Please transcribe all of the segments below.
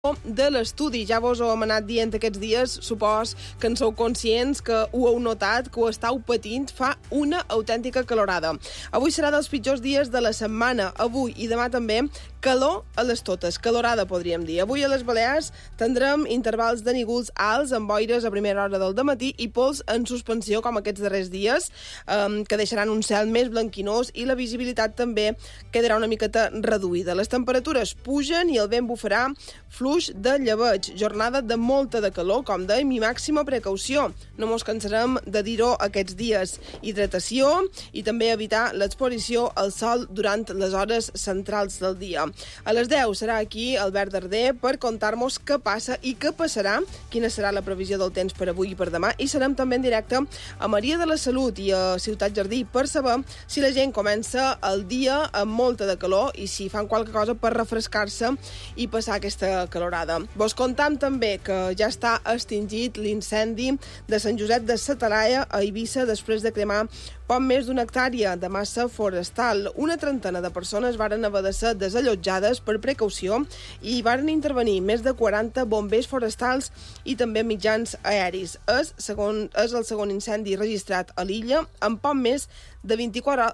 de l'estudi. Ja vos ho hem anat dient aquests dies, supos que en sou conscients, que ho heu notat, que ho estàu patint, fa una autèntica calorada. Avui serà dels pitjors dies de la setmana. Avui i demà també calor a les totes, calorada podríem dir. Avui a les Balears tindrem intervals de nígols alts amb boires a primera hora del dematí i pols en suspensió com aquests darrers dies, que deixaran un cel més blanquinós i la visibilitat també quedarà una miqueta reduïda. Les temperatures pugen i el vent bufarà fluix de llebeig. Jornada de molta de calor, com dèiem, i màxima precaució. No mos cansarem de dir-ho aquests dies. Hidratació i també evitar l'exposició al sol durant les hores centrals del dia. A les 10 serà aquí Albert Darder per contar-nos què passa i què passarà, quina serà la previsió del temps per avui i per demà, i serem també en directe a Maria de la Salut i a Ciutat Jardí per saber si la gent comença el dia amb molta de calor i si fan qualque cosa per refrescar-se i passar aquesta calorada. Vos contam també que ja està extingit l'incendi de Sant Josep de sa Talaia a Eivissa després de cremar poc més d'una hectàrea de massa forestal. Una trentena de persones varen haver de ser desallotjades per precaució i varen intervenir més de 40 bombers forestals i també mitjans aeris. És el segon incendi registrat a l'illa en poc més de 24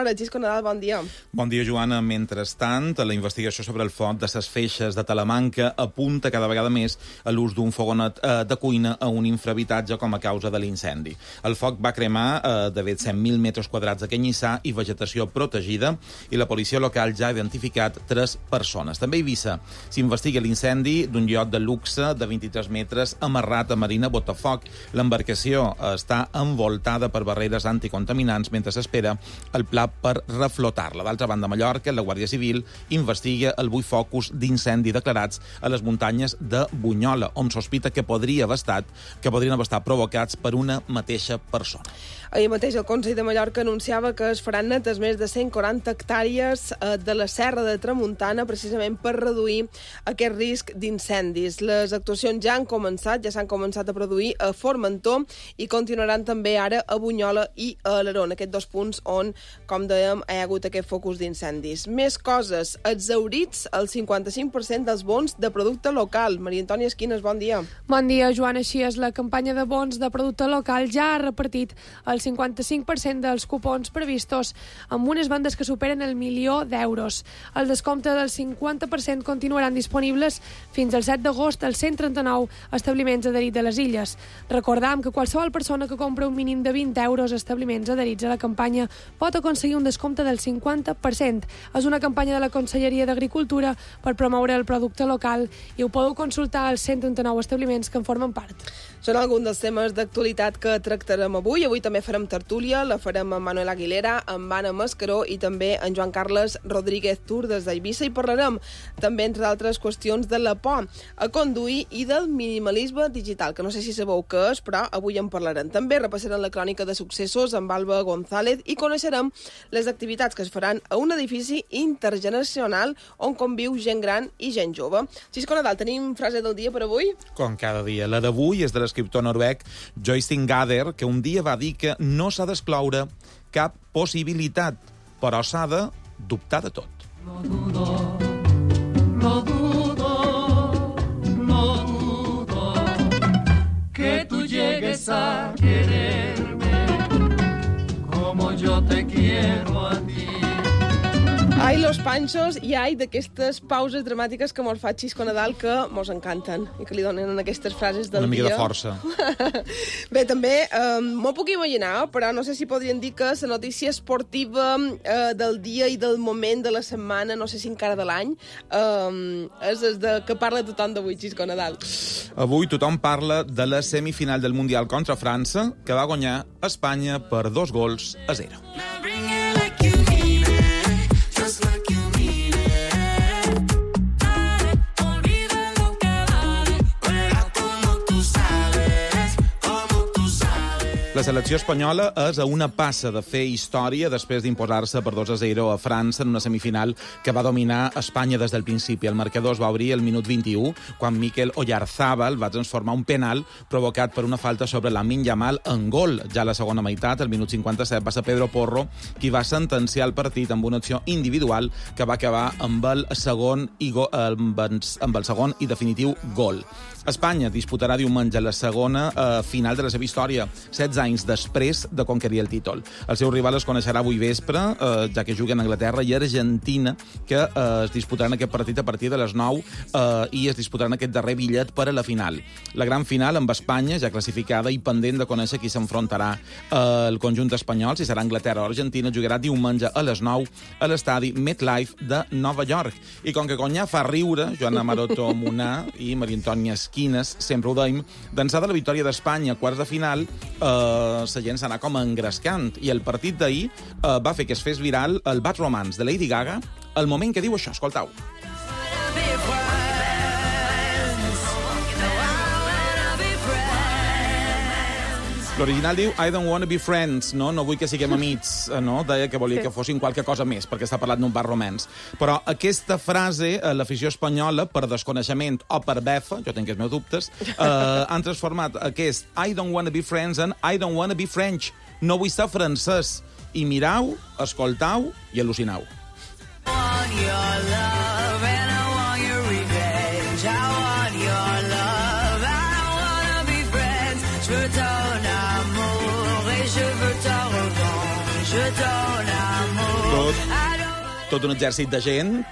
hores. Xisco Nadal, bon dia. Bon dia, Joana. Mentrestant, la investigació sobre el foc de ses feixes de Talamanca apunta cada vegada més a l'ús d'un fogonet de cuina a un infrahabitatge com a causa de l'incendi. El foc va cremar de 100.000 metres quadrats de canyissar i vegetació protegida i la policia local ja ha identificat 3 persones. També a Eivissa s'investiga l'incendi d'un iot de luxe de 23 metres amarrat a Marina Botafoc. L'embarcació està envoltada per barreres anticontaminants mentre s'espera el pla per reflotar-la. D'altra banda, a Mallorca, la Guàrdia Civil investiga el 8 focus d'incendi declarats a les muntanyes de Bunyola, on sospita que podrien haver estat provocats per una mateixa persona. Ahir mateix el Consell de Mallorca anunciava que es faran netes més de 140 hectàrees de la Serra de Tramuntana precisament per reduir aquest risc d'incendis. Les actuacions ja s'han començat a produir a Formentor i continuaran també ara a Bunyola i a Alaró, aquests 2 punts on, com dèiem, hi ha hagut aquest focus d'incendis. Més coses. Exhaurits el 55% dels bons de producte local. Maria Antònia Esquines, bon dia. Bon dia, Joan. Així és, la campanya de bons de producte local ja ha repartit el 55% dels cupons previstos amb unes vendes que superen el 1.000.000 d'euros. El descompte del 50% continuaran disponibles fins al 7 d'agost als 139 establiments adherits a les illes. Recordam que qualsevol persona que compra un mínim de 20 euros a establiments adherits a la campanya pot aconseguir un descompte del 50%. És una campanya de la Conselleria d'Agricultura per promoure el producte local i ho podeu consultar als 139 establiments que en formen part. Són alguns dels temes d'actualitat que tractarem avui. Avui també farem tertúlia, la farem amb Manuel Aguilera, amb Anna Mascaró i també en Joan Carles Rodríguez Tur des d'Eivissa, i parlarem també, entre d'altres qüestions, de la por a conduir i del minimalisme digital, que no sé si sabeu què és, però avui en parlarem. També repassarem la crònica de successos amb Alba González i coneixerem les activitats que es faran a un edifici intergeneracional on conviu gent gran i gent jove. Xisco Nadal, tenim frase del dia per avui? Com cada dia. La d'avui és de l'escriptor noruec Joystein Gader, que un dia va dir que no s'ha d'excloure cap possibilitat, però s'ha de dubtar de tot. No dudo, que tú llegues a quererme como yo te quiero a ti. Ai, los panxos, i ai d'aquestes pauses dramàtiques que mos fa Xisco Nadal, que mos encanten i que li donen en aquestes frases del dia. Una mica de força. Bé, també m'ho puc imaginar, però no sé si podrien dir que la notícia esportiva del dia i del moment de la setmana, no sé si encara de l'any, és de que parla tothom d'avui, Xisco Nadal. Avui tothom parla de la semifinal del Mundial contra França, que va guanyar Espanya per 2-0. La selecció espanyola és a una passa de fer història després d'imposar-se per 2-0 a França en una semifinal que va dominar Espanya des del principi. El marcador es va obrir al minut 21, quan Mikel Oyarzábal va transformar un penal provocat per una falta sobre Lamine Yamal en gol. Ja a la segona meitat, al minut 57, va ser Pedro Porro qui va sentenciar el partit amb una acció individual que va acabar amb el segon i definitiu gol. Espanya disputarà diumenge la segona final de la seva història, 16 anys després de conquerir el títol. El seu rival es coneixerà avui vespre, ja que juguen Anglaterra i Argentina, que es disputaran aquest partit a partir de les 9 i es disputaran aquest darrer bitllet per a la final. La gran final amb Espanya, ja classificada i pendent de conèixer qui s'enfrontarà al conjunt espanyol, si serà Anglaterra o Argentina, jugarà diumenge a les 9 a l'estadi MetLife de Nova York. I com que Conyà fa riure, Joana Maroto Munà i Maria Antònia Esquines, sempre ho deim, d'ençà de la victòria d'Espanya a quarts de final, la gent s'anà com engrescant. I el partit d'ahir va fer que es fes viral el Bad Romance de Lady Gaga, el moment que diu això, escoltau. L'original diu I don't wanna be friends, no vull que siguem amics, no? Deia que volia que fossin qualque cosa més, perquè està parlant d'un bar romance. Però aquesta frase, l'afició espanyola, per desconeixement o per befa, jo tinc els meus dubtes, han transformat aquest I don't wanna be friends en I don't wanna be French. No vull ser francès. I mirau, escoltau i al·lucinau. Tot un exèrcit de gent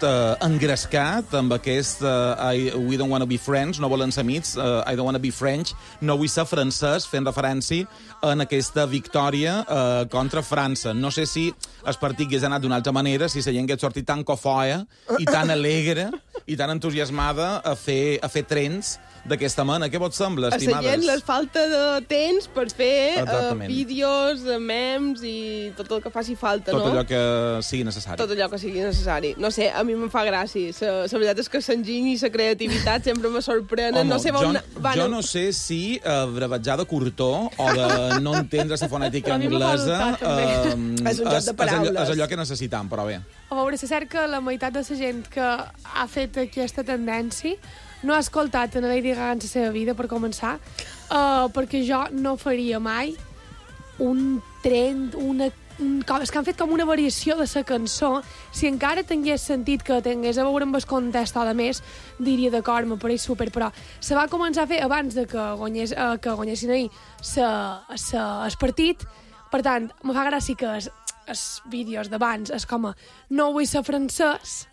engrescat amb aquest We don't wanna be friends, no volen ser amics, I don't wanna be French, no vull ser francès, fent referència en aquesta victòria contra França. No sé si el partit hagués anat d'una altra manera, si la gent hagués sortit tan cofoia i tan alegre i tan entusiasmada a fer trens d'aquesta mena. Què vos sembla, estimades? A la gent les falta de temps per fer vídeos, memes i tot el que faci falta, no? Tot allò que sigui necessari. Tot allò que sigui necessari. No sé, a mi me'n fa gràcia. La veritat és que l'enginy i la creativitat sempre me sorprenen. Home, jo no sé si brevetjar de curtó o de no entendre la fonètica anglesa és un joc de paraules. És allò que necessitam, però bé. A veure, és cert que la meitat de la gent que ha fet aquesta tendència no ha escoltat en Lady Gaga en la seva vida, per començar, perquè jo no faria mai un trend, és que han fet com una variació de la cançó. Si encara tingués sentit que tingués a veure amb el context o de més, diria d'acord, me pareix súper, però se va començar a fer abans de que guanyessin ahir el partit. Per tant, me fa gràcia que els vídeos d'abans és com a no vull ser francès,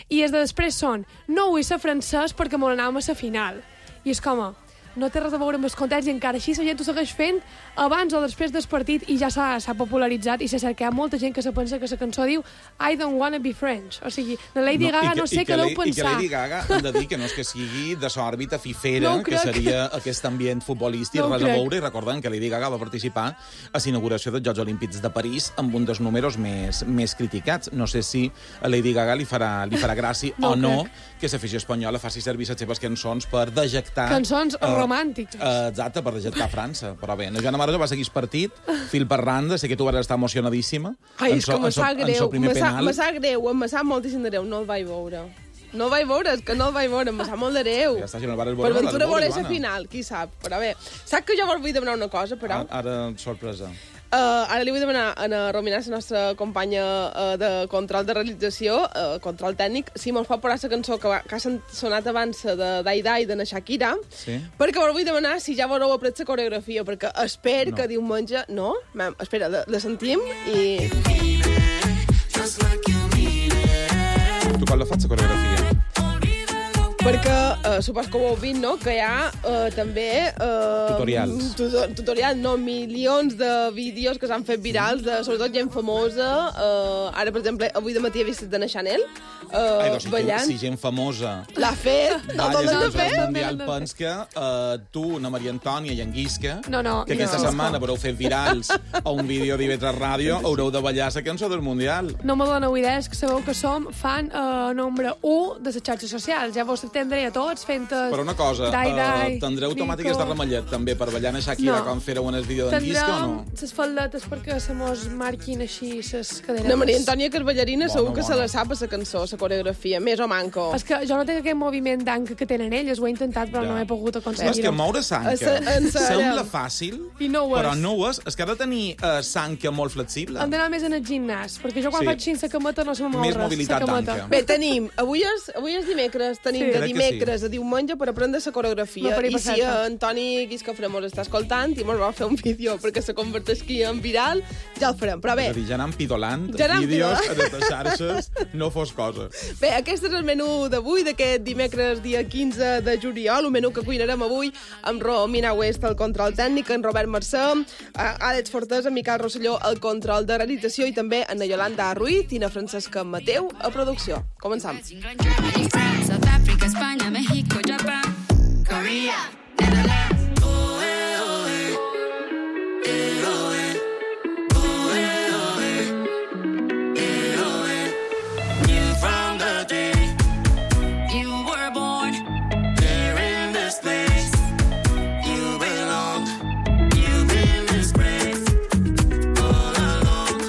i els de després són no vull ser francès perquè me n'anàvem a la final. I és com a no té res a veure amb els context i encara així la gent ho segueix fent abans o després del partit i ja s'ha popularitzat i s'ha que hi ha molta gent que se pensa que la cançó diu I don't wanna be French. O sigui, la Lady Gaga no sé què deu pensar. I que Lady Gaga hem de dir que no és que sigui de l'òrbita fifera, que seria aquest ambient futbolístic, res a veure, i recordem que Lady Gaga va participar a l'inauguració dels Jocs Olímpics de París amb un dels números més criticats. No sé si a Lady Gaga li farà gràcia o no que l'afició espanyola faci servir les seves cançons per dejectar... Cançons romàntiques. Exacte, per dejectar França. Però bé, la Joana Maroto va seguir el partit, fil per randa, sé que tu vas estar emocionadíssima. Ai, és que me sap greu, me sap moltíssim de greu, no el vaig veure. No el vaig veure, és que no el vaig veure, me sap molt de greu. Ja està, si no el vares veure... Per ventura veure la final, qui sap. Però bé, saps que jo vos vull demanar una cosa, però... Ara, sorpresa. Ara li vull demanar a la Romina, la nostra companya de control de realització, control tècnic, si mos pot posar la cançó que ha sonat abans de Dai Dai de la Shakira, perquè vos vull demanar si ja veureu après la coreografia, perquè espero que diumenge... No? Espera, la sentim i... Tu quan la fas, la coreografia? Perquè supos que ho heu vist, no?, que hi ha també... Tutorials. Tutorials, no, milions de vídeos que s'han fet virals, sobretot gent famosa. Ara, per exemple, avui de matí he vist de la Chanel ballant. Si gent famosa l'ha fet, no te l'has de fer. Mundial, pens que tu, na Maria Antònia i en Guisca, que aquesta setmana haureu fet virals a un vídeo d'IV3 Ràdio, haureu de ballar la cançó del Mundial. No me doneu idees, que sabeu que som fan número 1 de les xarxes socials. Ja vos entendre a tots fent... Però una cosa, tindreu automàtiques de ramellet també per ballar a Shakira quan fèreu en el vídeo d'en Quisco o no? Tindrem les faldetes perquè se mos marquin així les cadenes. No, Maria Antònia, que és ballarina, segur que se la sap a la cançó, a la coreografia, més o manco. És que jo no tinc aquest moviment d'anca que tenen elles, ho he intentat però no he pogut aconseguir-ho. És que moure sanca sembla fàcil, però no ho és. És que ha de tenir sanca molt flexible. Hem d'anar més en el gimnàs, perquè jo quan faig així la cameta no se me mou res. Més mobilitat d'anca. Bé, tenim, avui és dimecres, tenim de dimecres a diumenge per aprendre la coreografia. I si Antoni Guiscafré està escoltant i mos va fer un vídeo perquè se converteixi en viral, ja el farem. Però bé... És a dir, ja anem pidolant vídeos a les xarxes, no fos cosa. Bé, aquest és el menú d'avui, d'aquest dimecres dia 15 de juliol, un menú que cuinarem avui amb Romina West al control tècnic, en Robert Mercè, Àlex Fortés, en Miquel Rosselló al control de realització i també en Yolanda Ruiz i na Francesca Mateu a producció. Començam. South Africa, España, México, Japan, Korea, Netherlands. Knew from the day you were born here in this place. You belong, you've been disgraced all along.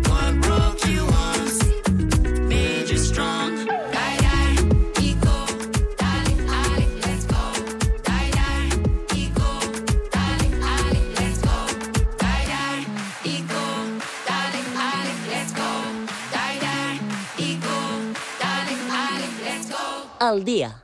What broke you once made you strong. El dia.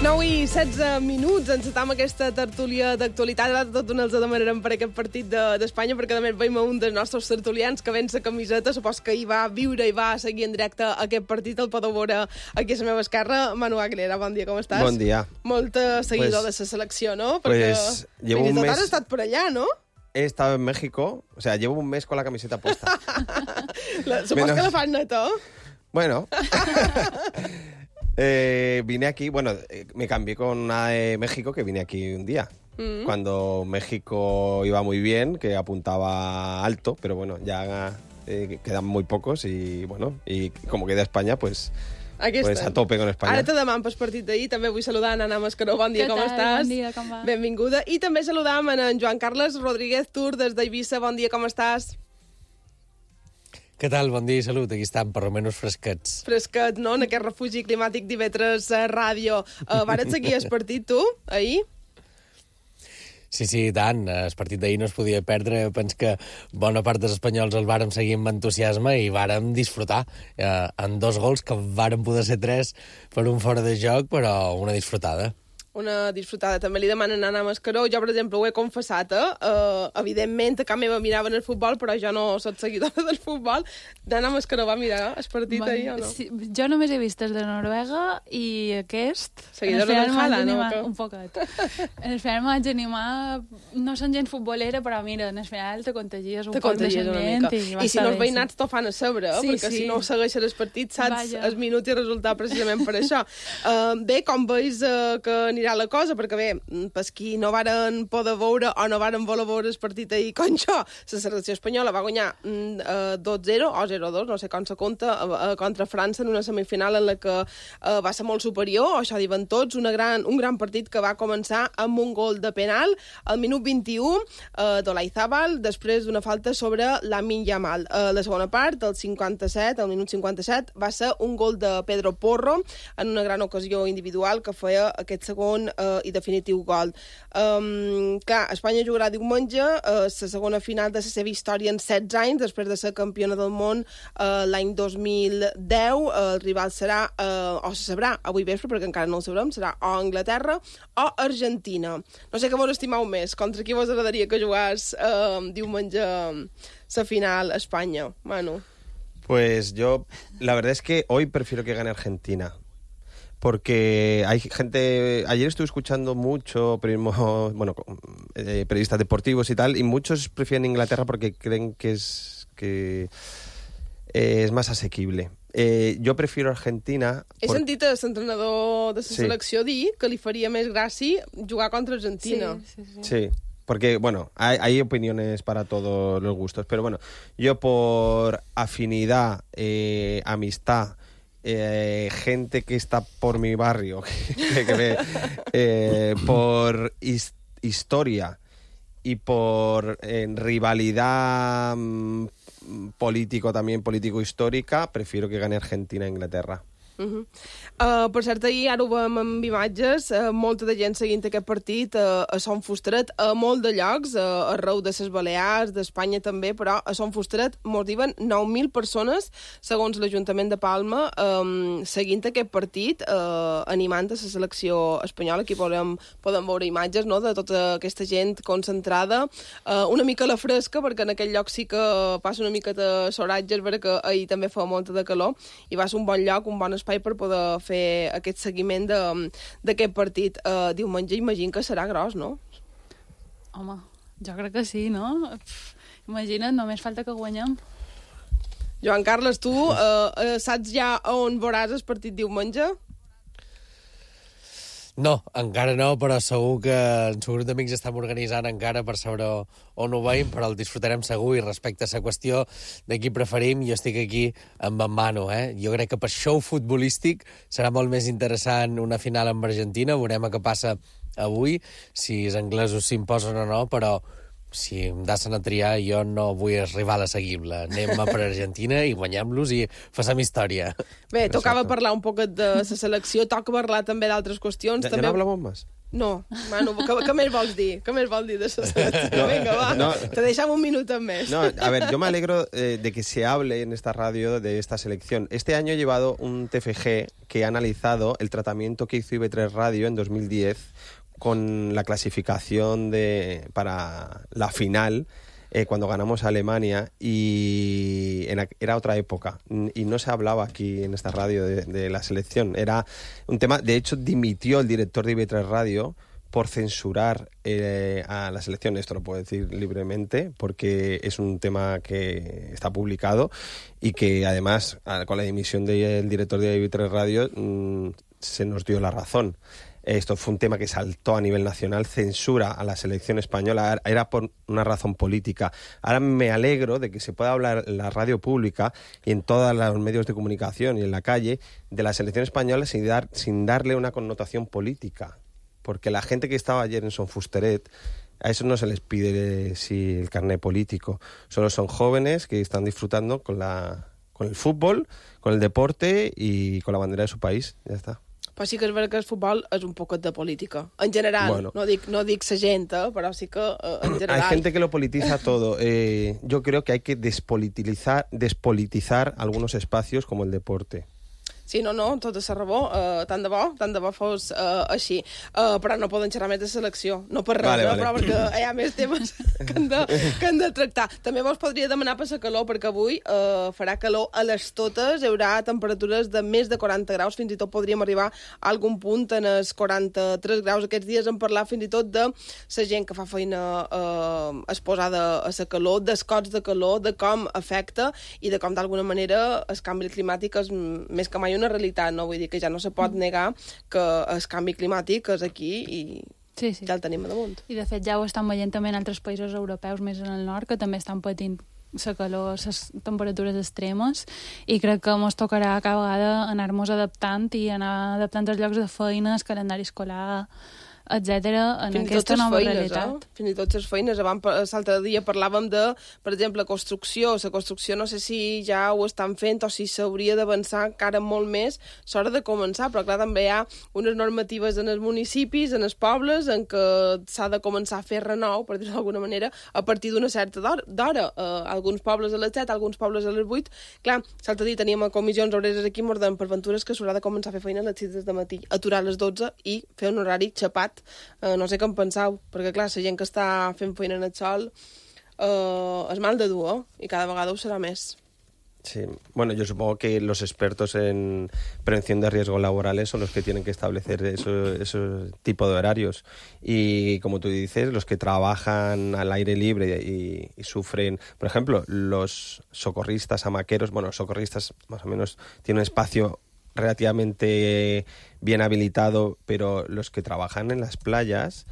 9:16 minuts, encetam aquesta tertúlia d'actualitat. Ara tot un els demanarem per aquest partit d'Espanya, perquè també veiem un dels nostres tertulians que ven la camiseta, supos que hi va viure i va seguir en directe aquest partit, el podeu veure aquí a la meva esquerra. Manu Aguilera, bon dia, com estàs? Bon dia. Molt seguidor de la selecció, no? Perquè llevo un mes... has estat per allà, no? He estado en México, o sea, llevo un mes con la camiseta puesta. Supos que la fan neta. Bueno... vine aquí, bueno, me cambié con una de México que vine aquí un día. Cuando México iba muy bien, que apuntaba alto, pero bueno, ya quedan muy pocos y bueno, y como queda España, pues a tope con Espanya. Ara te demano pel partit d'ahir. També vull saludar en Anna Mascaró. Bon dia, com estàs? Bon dia, com va? Benvinguda. I també saludam en Joan Carles Rodríguez Tur des d'Eivissa. Bon dia, com estàs? Què tal? Bon dia i salut. Aquí estan, per almenys fresquets. Fresquet, no? En aquest refugi climàtic d'Ivetres Ràdio. Vares seguir el partit, tu, ahir? Sí, i tant. El partit d'ahir no es podia perdre. Penso que bona part dels espanyols el vàrem seguir amb entusiasme i vàrem disfrutar en 2 gols, que vàrem poder ser 3 per un fora de joc, però una disfrutada. Una disfrutada. També li demanen a Anna Mascaró. Jo, per exemple, ho he confessat, evidentment, a casa meva miraven el futbol, però jo no soc seguidora del futbol. Anna Mascaró va mirar el partit ahir, o no? Sí, jo només he vist els de Noruega i aquest... Seguidora del Haaland, no? Un poquet. En el final m'haig d'animar... No són gent futbolera, però mira, en el final te contagies un poc de l'ambient. I si no els veïnats t'ho fan a sobre, perquè si no segueixes el partit saps el minut i el resultat precisament per això. Bé, com veus que anirà la cosa, perquè bé, per qui no varen poder veure o no varen voler veure el partit ahir com jo, la selecció espanyola va guanyar 2-0 o 0-2, no sé com se compta, contra França en una semifinal en la que va ser molt superior, això diuen tots, un gran partit que va començar amb un gol de penal al minut 21 d'Olaizábal, després d'una falta sobre Lamine Yamal. La segona part, al minut 57, va ser un gol de Pedro Porro en una gran ocasió individual que feia aquest segon i definitiu gol. Clar, Espanya jugarà diumenge la segona final de la seva història en 16 anys, després de ser campiona del món l'any 2010. El rival serà, o se sabrà avui vespre, perquè encara no ho sabrem, serà o Anglaterra o Argentina. No sé què vos estimeu més, contra qui vos agradaria que jugàs diumenge la final a Espanya, Manu? Pues yo, la verdad es que hoy prefiero que gane Argentina. Porque hay gente... Ayer estuve escuchando mucho periodismo, bueno, periodistas deportivos y tal, y muchos prefieren Inglaterra porque creen que es más asequible. Jo prefiero Argentina... He sentit a l'entrenador de la selecció dir que li faria més gràcia jugar contra Argentina. Sí. Porque, bueno, hay opiniones para todos los gustos, pero bueno, yo por afinidad, amistad, gente que está por mi barrio, por historia y por rivalidad político-histórica, prefiero que gane Argentina e Inglaterra. Per cert, ahir, ara ho veiem amb imatges, molta de gent seguint aquest partit a Son Fusteret, a molt de llocs, arreu de les Balears, d'Espanya també, però a Son Fusteret mos diuen 9.000 persones, segons l'Ajuntament de Palma, seguint aquest partit, animant a la selecció espanyola. Aquí podem veure imatges, no?, de tota aquesta gent concentrada, una mica a la fresca, perquè en aquell lloc sí que passa una mica de soratge, és vera que ahir també fa molta de calor, i va ser un bon lloc, un bon espai per poder fer aquest seguiment d'aquest partit. Diumenge imagino que serà gros, no? Home, jo crec que sí, no? Imagina't, només falta que guanyem. Joan Carles, tu saps ja on veuràs el partit diumenge? No, encara no, però segur que en seu grup d'amics estem organitzant encara per saber on ho veiem, però el disfrutarem segur, i respecte a la qüestió de qui preferim, jo estic aquí amb en Manu, Jo crec que per show futbolístic serà molt més interessant una final amb Argentina, veurem què passa avui, si els anglesos s'imposen o no, però si em deixen a triar, jo no vull el rival assequible. Anem per Argentina i guanyem-los i facem història. Bé, tocava parlar un poc de la selecció, toca parlar també d'altres qüestions. Ja no hablamos más? No, Manu, què més vols dir? Què més vols dir de la selecció? Venga, va, te deixamos un minuto més. No, a ver, yo me alegro de que se hable en esta radio de esta selección. Este año he llevado un TFG que ha analizado el tratamiento que hizo IB3 Radio en 2010 con la clasificación para la final, cuando ganamos a Alemania, y era otra época, y no se hablaba aquí en esta radio de la selección. Era un tema, de hecho, dimitió el director de IB3 Radio por censurar a la selección. Esto lo puedo decir libremente, porque es un tema que está publicado y que, además, con la dimisión del director de IB3 Radio, se nos dio la razón. Esto fue un tema que saltó a nivel nacional, censura a la selección española, era por una razón política. Ahora me alegro de que se pueda hablar en la radio pública y en todos los medios de comunicación y en la calle de la selección española sin darle una connotación política. Porque la gente que estaba ayer en Son Fusteret, a eso no se les pide el carné político. Solo son jóvenes que están disfrutando con el fútbol, con el deporte y con la bandera de su país. Ya está. Però sí que és veritat que el futbol és un poquet de política. En general, bueno, no dic la gent, però sí que en general... Hay gente que lo politiza todo. Yo creo que hay que despolitizar algunos espacios como el deporte. Sí, no, tota la raó, tant de bo fos així. Però no poden xerrar més de selecció, no per res, vale. Però perquè hi ha més temes que han de tractar. També vos podria demanar per la calor, perquè avui farà calor a les totes, hi haurà temperatures de més de 40 graus, fins i tot podríem arribar a algun punt en els 43 graus. Aquests dies hem parlat fins i tot de la gent que fa feina exposada a la calor, dels cots de calor, de com afecta i de com d'alguna manera el canvi climàtic és més que mai una realitat, no? Vull dir que ja no se pot negar que el canvi climàtic és aquí i sí. Ja el tenim a damunt. I de fet ja ho estan veient també en altres països europeus més en el nord, que també estan patint la calor, les temperatures extremes, i crec que ens tocarà cada vegada anar-nos adaptant i anar adaptant els llocs de feina, el calendari escolar, etcètera, en aquesta nova realitat. Fins i tot les feines. L'altre dia parlàvem de, per exemple, construcció. La construcció no sé si ja ho estan fent o si s'hauria d'avançar encara molt més. S'hora de començar, però clar, també hi ha unes normatives en els municipis, en els pobles, en què s'ha de començar a fer renou, per dir-ho d'alguna manera, a partir d'una certa d'hora. Alguns pobles a les 7, alguns pobles a les 8. Clar, l'altre dia teníem a comissions obreres aquí, mos deien per ventures que s'haurà de començar a fer feina a les 6 del matí, aturar a les 12 i fer un horari xapat. No sé què en penseu, perquè clar, la gent que està fent feina en el sol és mal de dur, i cada vegada ho serà més. Sí, bueno, yo supongo que los expertos en prevención de riesgos laborales son los que tienen que establecer esos tipos de horarios. Y como tú dices, los que trabajan al aire libre y sufren, por ejemplo, los socorristas hamaqueros, bueno, los socorristas más o menos tienen un espacio relativamente bien habilitado, pero los que trabajan en las playas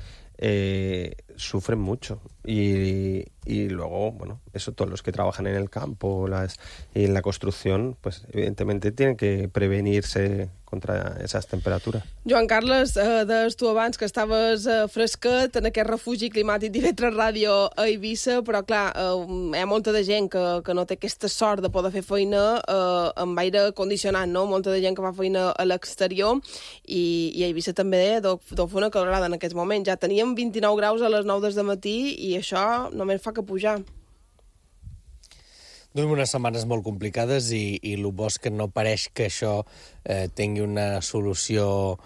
sufren mucho. Y luego, bueno, eso, todos los que trabajan en el campo y en la construcción, pues evidentemente tienen que prevenirse contra esas temperaturas. Joan Carles, deies tu abans que estaves fresquet en aquest refugi climàtic d'IV3 Ràdio a Eivissa, però clar, hi ha molta de gent que no té aquesta sort de poder fer feina amb aire condicionat, no? Molta de gent que fa feina a l'exterior i a Eivissa també deu fer una calorada en aquests moments. Ja teníem 29 graus a les 9 del matí i això només fa que pujar. Duim unes setmanes molt complicades i el bo és que no pareix que això tingui una solució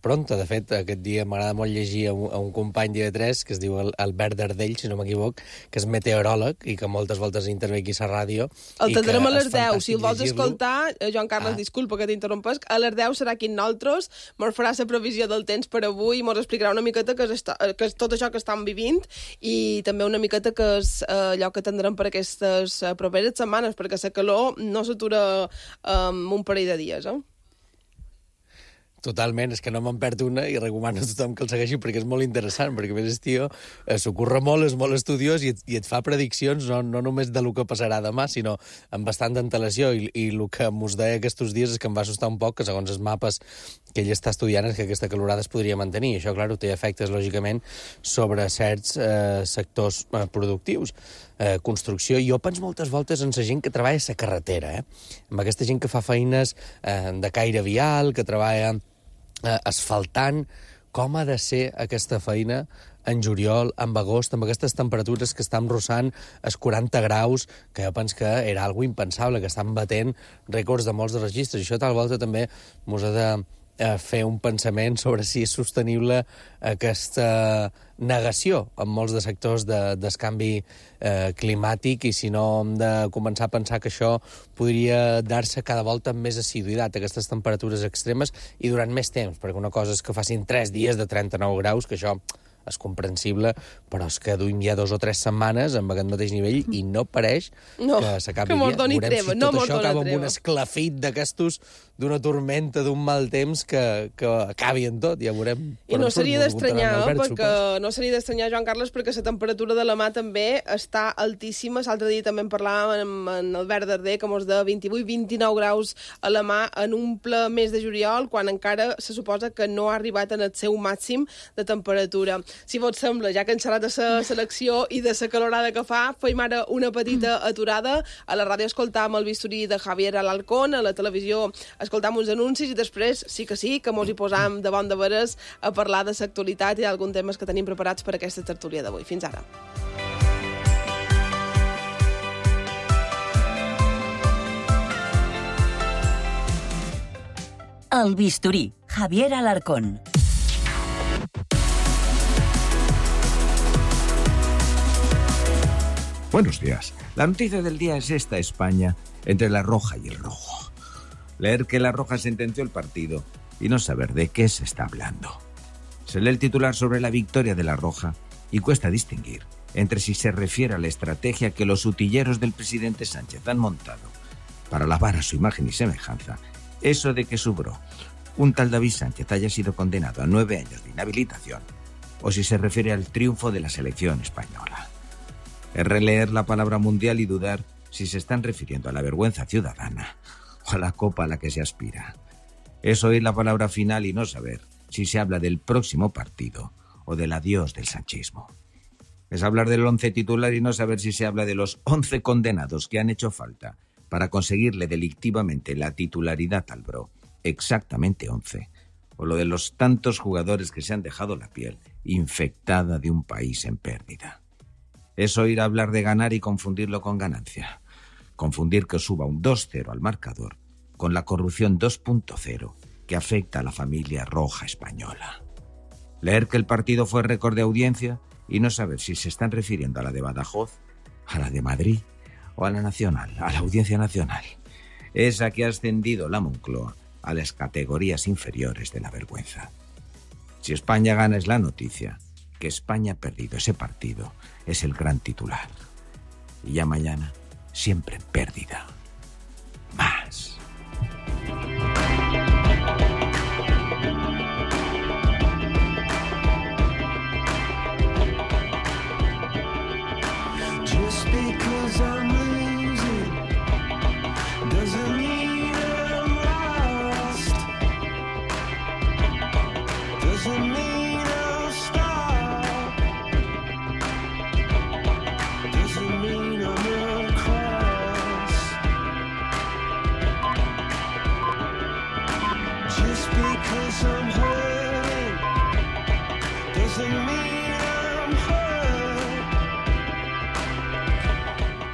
pronta. De fet, aquest dia m'agrada molt llegir a un company d'IV3 que es diu Albert Dardell, si no m'equivoc, que és meteoròleg i que moltes voltes intervé aquí a ràdio. El tindrem a les 10. Si el vols escoltar, Joan Carles, disculpa que t'interrompes, a les 10 serà aquí amb nosaltres, mos farà la previsió del temps per avui i mos explicarà una miqueta que és tot això que estan vivint i també una miqueta que és allò que tindrem per aquestes properes setmanes, perquè la calor no s'atura en un parell de dies, Totalment, és que no me'n perd una i recomano a tothom que el segueixi perquè és molt interessant, perquè a més tio s'ho curra molt, és molt estudiós i et fa prediccions no només de lo que passarà demà, sinó amb bastant d'antelació i el que mos deia aquests dies és que em va assustar un poc que segons els mapes que ell està estudiant és que aquesta calorada es podria mantenir i això, clar, té efectes lògicament sobre certs sectors productius. Construcció. Jo penso moltes voltes en la gent que treballa a la carretera, amb aquesta gent que fa feines de caire vial, que treballa asfaltant, com ha de ser aquesta feina en juliol, en agost, amb aquestes temperatures que estan rossant els 40 graus, que jo penso que era algo impensable, que estan batent rècords de molts de registres. I això tal volta també mos ha de fer un pensament sobre si és sostenible aquesta negació en molts de sectors del canvi climàtic i si no hem de començar a pensar que això podria dar-se cada volta amb més assiduïtat, aquestes temperatures extremes i durant més temps, perquè una cosa és que facin 3 dies de 39 graus, que això és comprensible, però és que duim ja 2 o 3 setmanes amb aquest mateix nivell i no pareix que s'acabi bé. Veurem si tot això acaba amb un esclafit d'aquestos, d'una tormenta, d'un mal temps que acabi en tot, ja veurem. I no seria d'estranyar, no seria d'estranyar, Joan Carles, perquè la temperatura de la mà també està altíssima. L'altre dia també en parlàvem amb Albert Darder, que mos de 28-29 graus a la mà en un ple mes de juliol, quan encara se suposa que no ha arribat en el seu màxim de temperatura. Si vos sembla, ja que hem xerrat de la selecció i de la calorada que fa, feim ara una petita aturada. A la ràdio escoltam el bisturí de Javier Alarcón, a la televisió escoltam uns anuncis i després sí que mos hi posam de bon de veres a parlar de l'actualitat i d'alguns temes que tenim preparats per aquesta tertúlia d'avui. Fins ara. El bisturí, Javier Alarcón. Buenos días. La noticia del día es esta: España entre la roja y el rojo. Leer que la roja sentenció el partido y no saber de qué se está hablando. Se lee el titular sobre la victoria de la roja y cuesta distinguir entre si se refiere a la estrategia que los utilleros del presidente Sánchez han montado para lavar a su imagen y semejanza eso de que su bro, un tal David Sánchez, haya sido condenado a 9 años de inhabilitación, o si se refiere al triunfo de la selección española. Es releer la palabra mundial y dudar si se están refiriendo a la vergüenza ciudadana o a la copa a la que se aspira. Es oír la palabra final y no saber si se habla del próximo partido o del adiós del sanchismo. Es hablar del 11 titular y no saber si se habla de los 11 condenados que han hecho falta para conseguirle delictivamente la titularidad al bro, exactamente 11, o lo de los tantos jugadores que se han dejado la piel infectada de un país en pérdida. Es oír hablar de ganar y confundirlo con ganancia. Confundir que suba un 2-0 al marcador con la corrupción 2.0 que afecta a la familia roja española. Leer que el partido fue récord de audiencia y no saber si se están refiriendo a la de Badajoz, a la de Madrid o a la nacional, a la audiencia nacional. Esa que ha ascendido la Moncloa a las categorías inferiores de la vergüenza. Si España gana es la noticia. Que España ha perdido ese partido es el gran titular. Y ya mañana, siempre en pérdida. Más.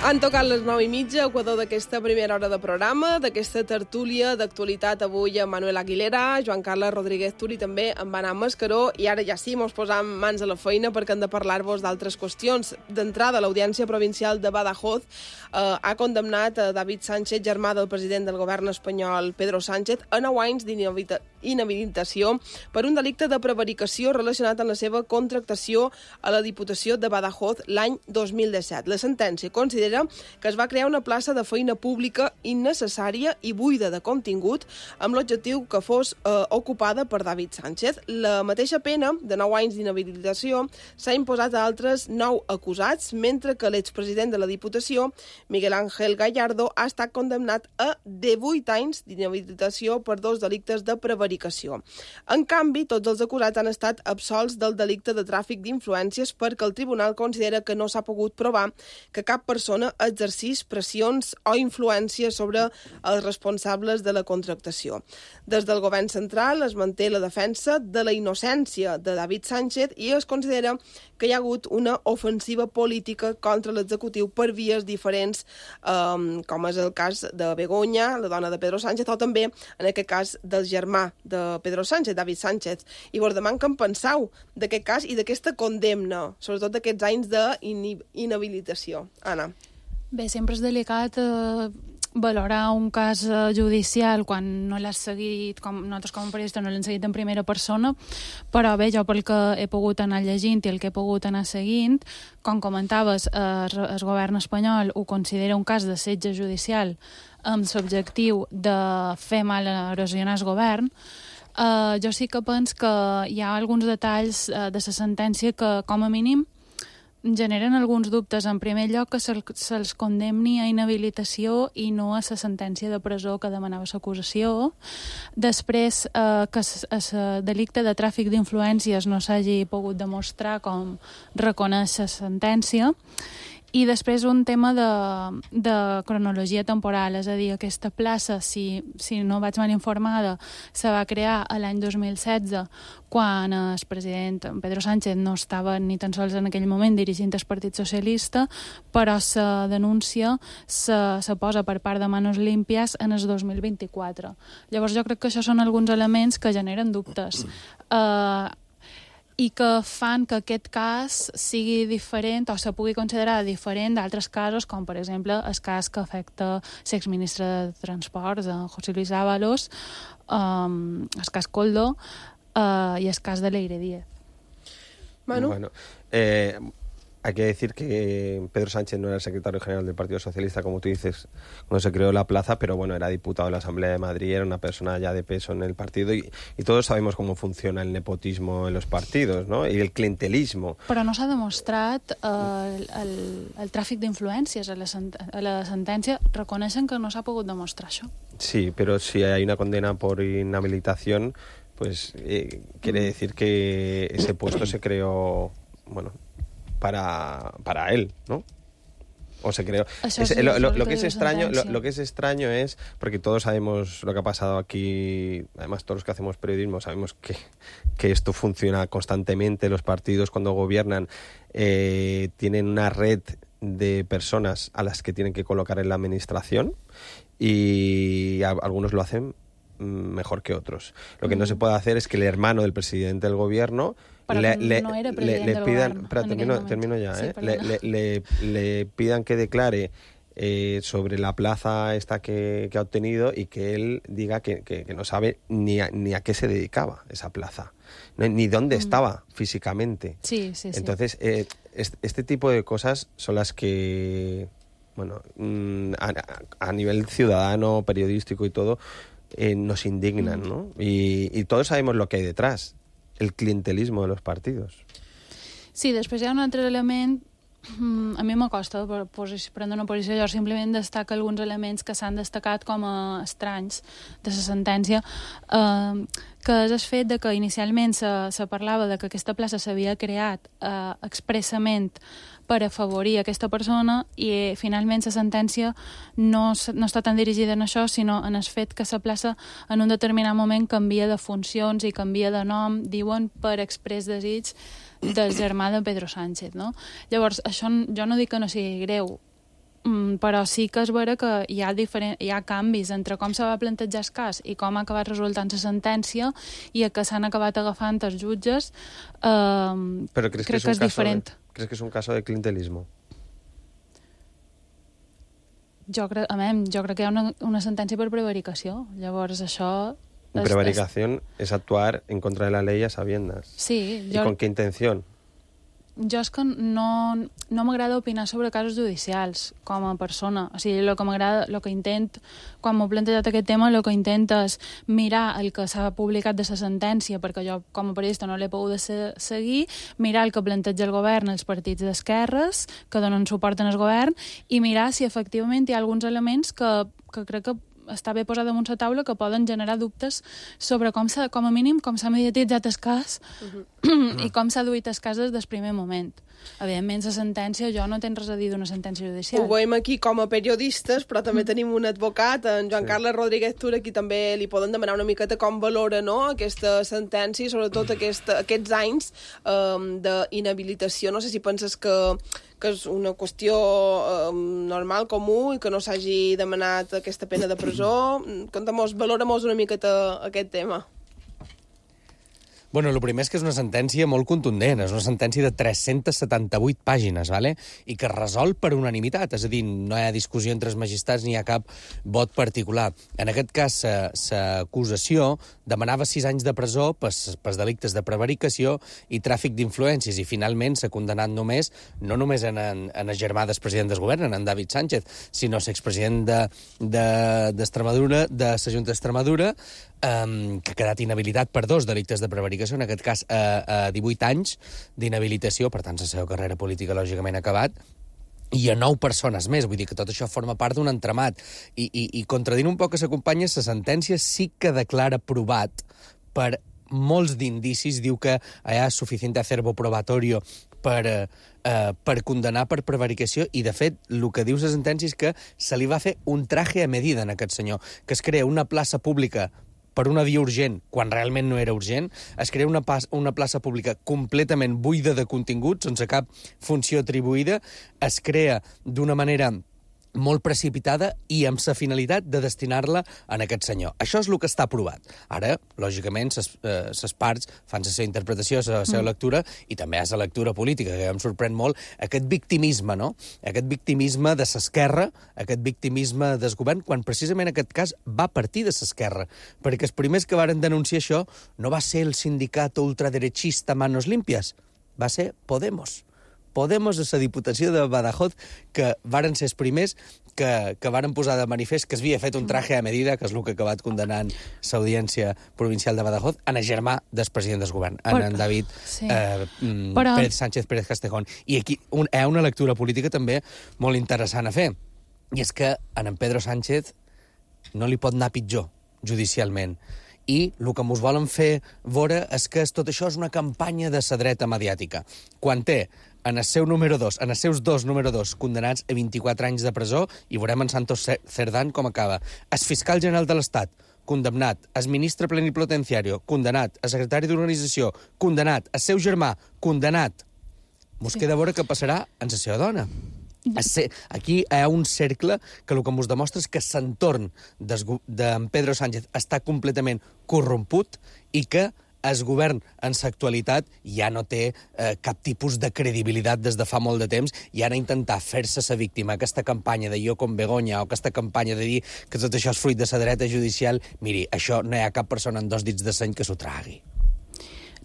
Han tocat les 9:30, equador d'aquesta primera hora de programa, d'aquesta tertúlia d'actualitat avui amb Manuel Aguilera, Joan Carles Rodríguez Turi, també amb Anna Mascaró, i ara ja sí, mos posam mans a la feina perquè hem de parlar-vos d'altres qüestions. D'entrada, l'Audiència Provincial de Badajoz ha condemnat a David Sánchez, germà del president del govern espanyol, Pedro Sánchez, a 9 anys d'inhabilitació per un delicte de prevaricació relacionat amb la seva contractació a la Diputació de Badajoz l'any 2017. La sentència considera que es va crear una plaça de feina pública innecessària i buida de contingut amb l'objectiu que fos ocupada per David Sánchez. La mateixa pena de 9 anys d'inhabilitació s'ha imposat a altres 9 acusats, mentre que l'expresident de la Diputació, Miguel Ángel Gallardo, ha estat condemnat a 18 anys d'inhabilitació per 2 delictes de prevaricació. En canvi, tots els acusats han estat absolts del delicte de tràfic d'influències perquè el tribunal considera que no s'ha pogut provar que cap persona exercís pressions o influències sobre els responsables de la contractació. Des del govern central es manté la defensa de la innocència de David Sánchez i es considera que hi ha hagut una ofensiva política contra l'executiu per vies diferents, com és el cas de Begoña, la dona de Pedro Sánchez, o també, en aquest cas, del germà de Pedro Sánchez, David Sánchez. I vos deman què en penseu d'aquest cas i d'aquesta condemna, sobretot d'aquests anys d'inhabilitació. Anna. Bé, sempre és delicat valorar un cas judicial quan no l'has seguit, nosaltres com a periodistes no l'hem seguit en primera persona, però bé, jo pel que he pogut anar llegint i el que he pogut anar seguint, com comentaves, el govern espanyol ho considera un cas de setge judicial amb l'objectiu de fer mal a erosionar el govern. Jo sí que penso que hi ha alguns detalls de la sentència que, com a mínim, generen alguns dubtes. En primer lloc, que se'ls condemni a inhabilitació i no a la sentència de presó que demanava l'acusació. Després, que el delicte de tràfic d'influències no s'hagi pogut demostrar com reconeix la sentència. I després un tema de cronologia temporal, és a dir, aquesta plaça, si no vaig mal informada, se va crear l'any 2016, quan el president Pedro Sánchez no estava ni tan sols en aquell moment dirigint el Partit Socialista, però la denúncia se posa per part de Manos Limpias en el 2024. Llavors jo crec que això són alguns elements que generen dubtes. I que fan que aquest cas sigui diferent o se pugui considerar diferent d'altres casos, com per exemple el cas que afecta l'exministre de Transports, José Luis Ábalos, el cas Koldo i el cas de Leire Díez. Manu? Bueno, hay que decir que Pedro Sánchez no era el secretario general del Partido Socialista, como tú dices, cuando se creó la plaza, pero bueno, era diputado de la Asamblea de Madrid, era una persona ya de peso en el partido y todos sabemos cómo funciona el nepotismo en los partidos, ¿no? Y el clientelismo. Però no s'ha demostrat el tràfic d'influències a la sentència. Reconeixen que no s'ha pogut demostrar això. Sí, pero si hay una condena por inhabilitación, pues quiere decir que ese puesto se creó, bueno, para él, ¿no? O se creó. Lo que es extraño es, porque todos sabemos lo que ha pasado aquí, además todos los que hacemos periodismo sabemos que esto funciona constantemente. Los partidos cuando gobiernan tienen una red de personas a las que tienen que colocar en la administración y algunos lo hacen mejor que otros. Lo que no se puede hacer es que el hermano del presidente del gobierno le pidan, termino ya, sí, le pidan que declare sobre la plaza esta que ha obtenido y que él diga que no sabe ni a qué se dedicaba esa plaza, ni dónde estaba físicamente. Sí. Entonces, este tipo de cosas son las que, bueno, a nivel ciudadano, periodístico y todo, nos indignan, ¿no? Y todos sabemos lo que hay detrás, el clientelismo de los partidos. Sí, després hi ha un altre element, a mi m'acosta prendre una posició, jo simplement destaco alguns elements que s'han destacat com a estranys de la sentència, que és el fet de que inicialment se parlava de que aquesta plaça s'havia creat expressament per afavorir aquesta persona i finalment la sentència no està tan dirigida en això, sinó en el fet que la plaça en un determinat moment canvia de funcions i canvia de nom, diuen per exprés desig del germà de Pedro Sánchez, no? Llavors, això jo no dic que no sigui greu, però sí que és vera que hi ha canvis entre com se va plantejar el cas i com ha acabat resultant la sentència i a què s'han acabat agafant els jutges. Però crec que és diferent. ¿Crees que es un caso de clientelismo? Jo crec que hi ha una sentència per prevaricació. Llavors, això... Prevaricación es actuar en contra de la ley a sabiendas. Sí. ¿Y con qué intención? Jo és que no m'agrada opinar sobre casos judicials com a persona. O sigui, el que m'agrada, el que intent, quan m'ho he plantejat aquest tema, el que intento és mirar el que s'ha publicat de la sentència, perquè jo, com a periodista, no l'he pogut seguir, mirar el que planteja el govern, els partits d'esquerres, que donen suport al govern, i mirar si efectivament hi ha alguns elements que crec que està bé posar damunt la taula que poden generar dubtes sobre com a mínim com s'ha mediatitzat el cas i com s'ha duit el cas des del primer moment. Evidentment, la sentència, jo no tenc res a dir d'una sentència judicial. Ho veiem aquí com a periodistes, però també tenim un advocat, en Joan Carles Rodríguez Tura, qui també li poden demanar una miqueta com valora, no?, aquesta sentència i sobretot aquests anys d'inhabilitació. No sé si penses que és una qüestió normal, comú, i que no s'hagi demanat aquesta pena de presó. Valora-mos una miqueta aquest tema. Bueno, el primer és que és una sentència molt contundent, és una sentència de 378 pàgines, ¿vale? I que resol per unanimitat, és a dir, no hi ha discussió entre els magistrats ni hi ha cap vot particular. En aquest cas, l'acusació demanava 6 anys de presó pels delictes de prevaricació i tràfic d'influències, i finalment s'ha condemnat no només en el germà del president del govern, en David Sánchez, sinó l'expresident d'Extremadura, de la Junta d'Extremadura, que ha quedat inhabilitat per 2 delictes de prevaricació, en aquest cas 18 anys d'inhabilitació, per tant la seva carrera política lògicament ha acabat, i a 9 persones més, vull dir que tot això forma part d'un entramat. I contradint un poc a sa companya, la sentència sí que declara provat per molts d'indicis, diu que hi ha suficient acervo probatorio per condenar per prevaricació, i de fet el que diu la sentència és que se li va fer un traje a medida en aquest senyor, que es crea una plaça pública per una via urgent, quan realment no era urgent, es crea una plaça pública completament buida de contingut, sense cap funció atribuïda, es crea d'una manera molt precipitada i amb la finalitat de destinar-la en aquest senyor. Això és el que està aprovat. Ara, lògicament, les parts fan la seva interpretació, la seva lectura, i també hi ha la lectura política, que em sorprèn molt aquest victimisme, no? Aquest victimisme de l'esquerra, aquest victimisme del govern, quan precisament aquest cas va partir de l'esquerra, perquè els primers que varen denunciar això no va ser el sindicat ultraderechista Manos Limpias, va ser Podemos. Podemos de la Diputació de Badajoz, que varen ser els primers que varen posar de manifest que s'havia fet un traje a medida, que és el que ha acabat condenant l'Audiència Provincial de Badajoz, en el germà del president del govern, en David Pérez Sánchez Pérez Castejón. I aquí hi ha una lectura política també molt interessant a fer, i és que en Pedro Sánchez no li pot anar pitjor judicialment. I el que ens volen fer veure és que tot això és una campanya de la dreta mediàtica. Quan té en el seu número 2, en els seus 2 número 2, condenats a 24 anys de presó, i veurem en Santos Cerdán com acaba. El fiscal general de l'Estat, condemnat. El ministre plenipotenciario, condenat. El secretari d'organització, condenat. El seu germà, condenat. Mos queda veure què passarà amb la seva dona. Aquí hi ha un cercle que el que ens demostra és que l'entorn d'en Pedro Sánchez està completament corromput i que el govern en l'actualitat ja no té cap tipus de credibilitat des de fa molt de temps, i ara intentar fer-se la víctima, aquesta campanya de jo com Begoña, o aquesta campanya de dir que tot això és fruit de la dreta judicial, miri, això no hi ha cap persona amb 2 dits de seny que s'ho tragui.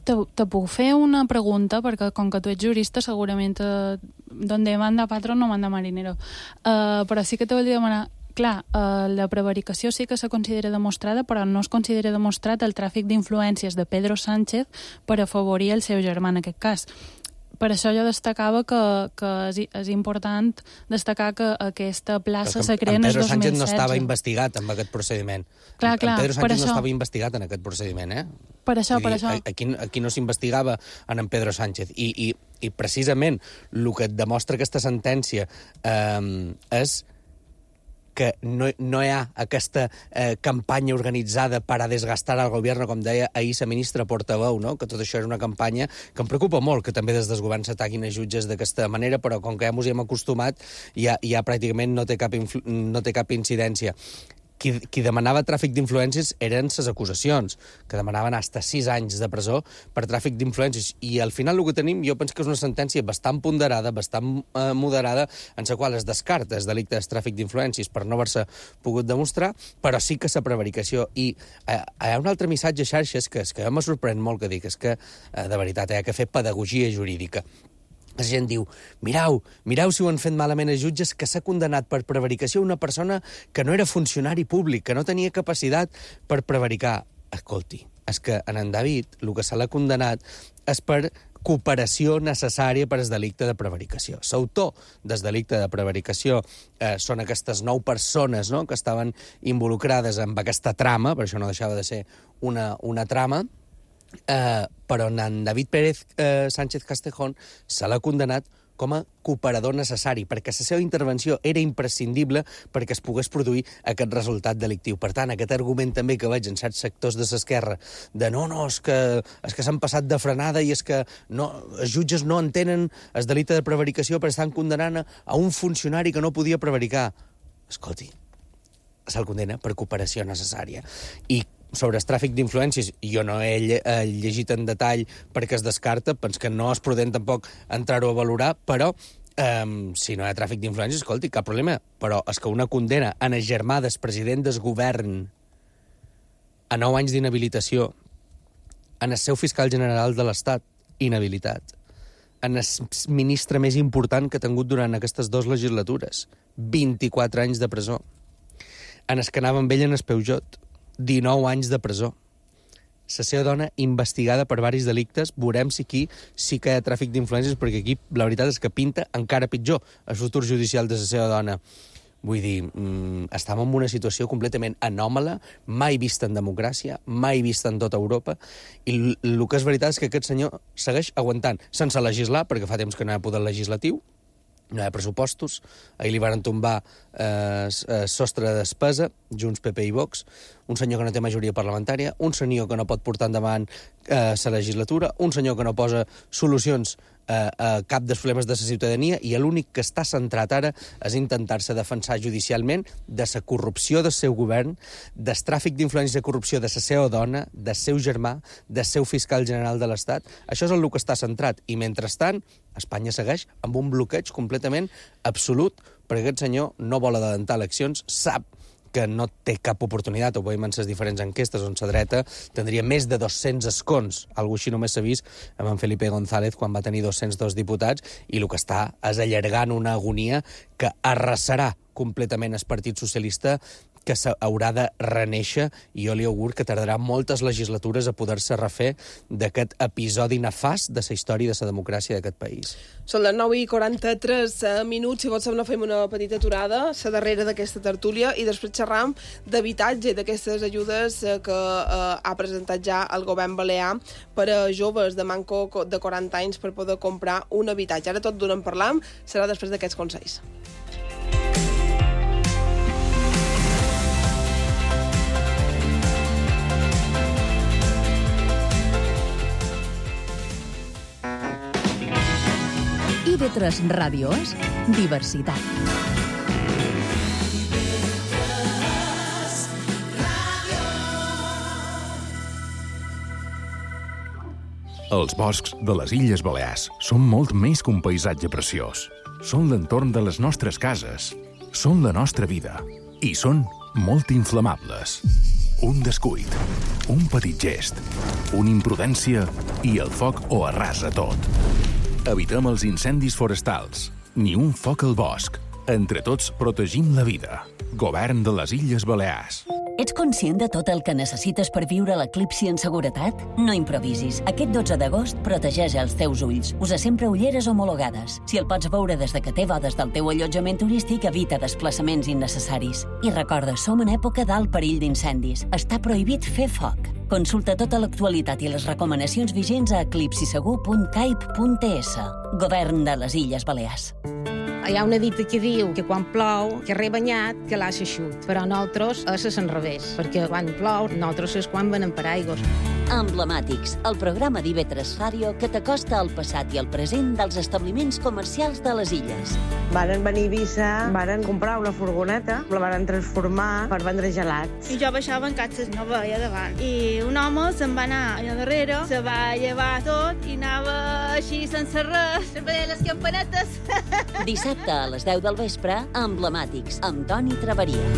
Te puc fer una pregunta, perquè com que tu ets jurista, segurament donde manda patrón no manda marinero. Però sí que te volia demanar, clar, la prevaricació sí que se considera demostrada, però no es considera demostrat el tràfic d'influències de Pedro Sánchez per afavorir el seu germà en aquest cas. Per això jo destacava que és important destacar que aquesta plaça se crea en el 2016. Pedro Sánchez no estava investigat en aquest procediment. Clar, Pedro Sánchez no estava investigat en aquest procediment, eh? Per això. Aquí no s'investigava en Pedro Sánchez. I precisament el que et demostra aquesta sentència és que no hi ha aquesta campanya organitzada per a desgastar al govern, com deia ahir la ministra portaveu, no? Que tot això és una campanya que em preocupa molt, que també des dels governs s'ataquin a jutges d'aquesta manera, però com que ja ens hi hem acostumat, ja pràcticament no té cap incidència. Qui demanava tràfic d'influències eren les acusacions, que demanaven fins a 6 anys de presó per tràfic d'influències. I al final el que tenim, jo penso que és una sentència bastant ponderada, bastant moderada, en la qual es descarta el delicte de tràfic d'influències per no haver-se pogut demostrar, però sí que la prevaricació. I hi ha un altre missatge a xarxes que me sorprèn molt que dic, és que, de veritat, hi ha que fer pedagogia jurídica. La gent diu, mirau si ho han fet malament els jutges, que s'ha condemnat per prevaricació una persona que no era funcionari públic, que no tenia capacitat per prevaricar. Escolti, és que en David el que se l'ha condemnat és per cooperació necessària per al delicte de prevaricació. L'autor del delicte de prevaricació són aquestes 9 persones, no?, que estaven involucrades en aquesta trama, per això no deixava de ser una trama, però en David Pérez Sánchez Castejón se l'ha condemnat com a cooperador necessari, perquè la seva intervenció era imprescindible perquè es pogués produir aquest resultat delictiu. Per tant, aquest argument també que veig en certs sectors de l'esquerra, de no, és que s'han passat de frenada i és que els jutges no entenen el delicte de prevaricació perquè estan condenant a un funcionari que no podia prevaricar. Escolti, se'l condena per cooperació necessària. I sobre el tràfic d'influències, jo no he llegit en detall perquè es descarta, penso que no és prudent tampoc entrar-ho a valorar, però si no hi ha tràfic d'influències, escolti, cap problema. Però és que una condena en el germà del president del govern a 9 anys d'inhabilitació, en el seu fiscal general de l'Estat, inhabilitat, en el ministre més important que ha tingut durant aquestes 2 legislatures, 24 anys de presó, en el que anava amb ell en el Peugeot, 19 anys de presó. La seva dona investigada per diversos delictes, veurem si aquí sí que hi ha tràfic d'influències, perquè aquí la veritat és que pinta encara pitjor el futur judicial de la seva dona. Vull dir, estem en una situació completament anòmala, mai vista en democràcia, mai vista en tota Europa, i el que és veritat és que aquest senyor segueix aguantant, sense legislar, perquè fa temps que no hi ha poder legislatiu, no hi ha pressupostos, ahir li van tombar sostre de despesa, Junts, PP i Vox, un senyor que no té majoria parlamentària, un senyor que no pot portar endavant la legislatura, un senyor que no posa solucions a cap dels problemes de la ciutadania, i l'únic que està centrat ara és intentar-se defensar judicialment de la corrupció del seu govern, del tràfic d'influències de corrupció de la seva dona, del seu germà, del seu fiscal general de l'Estat. Això és el que està centrat. I mentrestant, Espanya segueix amb un bloqueig completament absolut, perquè aquest senyor no vol adelantar eleccions, sap que no té cap oportunitat, ho veiem en les diferents enquestes, on la dreta tindria més de 200 escons, algo així només s'ha vist amb en Felipe González quan va tenir 202 diputats, i el que està és allargant una agonia que arrasarà completament el Partit Socialista, que s'haurà de renéixer, i jo li augur que tardarà moltes legislatures a poder-se refer d'aquest episodi nefast de la història de la democràcia d'aquest país. Són les 9:43 minuts, si vols no fem una petita aturada, la darrera d'aquesta tertúlia, i després xerram d'habitatge, d'aquestes ajudes que ha presentat ja el govern balear per a joves de manco de 40 anys per poder comprar un habitatge. Ara tot d'on en parlam serà després d'aquests consells. IB3 Ràdio és diversitat. Els boscs de les Illes Balears són molt més que un paisatge preciós. Són l'entorn de les nostres cases, són la nostra vida i són molt inflamables. Un descuit, un petit gest, una imprudència i el foc ho arrasa tot. Evitem els incendis forestals. Ni un foc al bosc. Entre tots protegim la vida. Govern de les Illes Balears. Ets conscient de tot el que necessites per viure l'eclipsi en seguretat? No improvisis. Aquest 12 d'agost protegeix els teus ulls. Usa sempre ulleres homologades. Si el pots veure des de que té des del teu allotjament turístic, evita desplaçaments innecessaris. I recorda, som en època d'alt perill d'incendis. Està prohibit fer foc. Consulta tota l'actualitat i les recomanacions vigents a eclipsisegur.caip.es. Govern de les Illes Balears. Hi ha una dita que diu que quan plou, que rebanyat, que l'ha xut. Però nosaltres és l'enrevés, perquè quan plou, nosaltres és quan venem per aigües. Emblemàtics, el programa d'IV3 Ràdio que t'acosta al passat i al present dels establiments comercials de les illes. Varen venir a Eivissa, varen comprar una furgoneta, la varen transformar per vendre gelats. I jo baixava en catxes, no veia davant. I un home se'n va anar allà darrere, se va llevar tot i anava així sense res, sempre les campanetes. Dissabte a les 10 del vespre, Emblemàtics, amb Toni Traveria.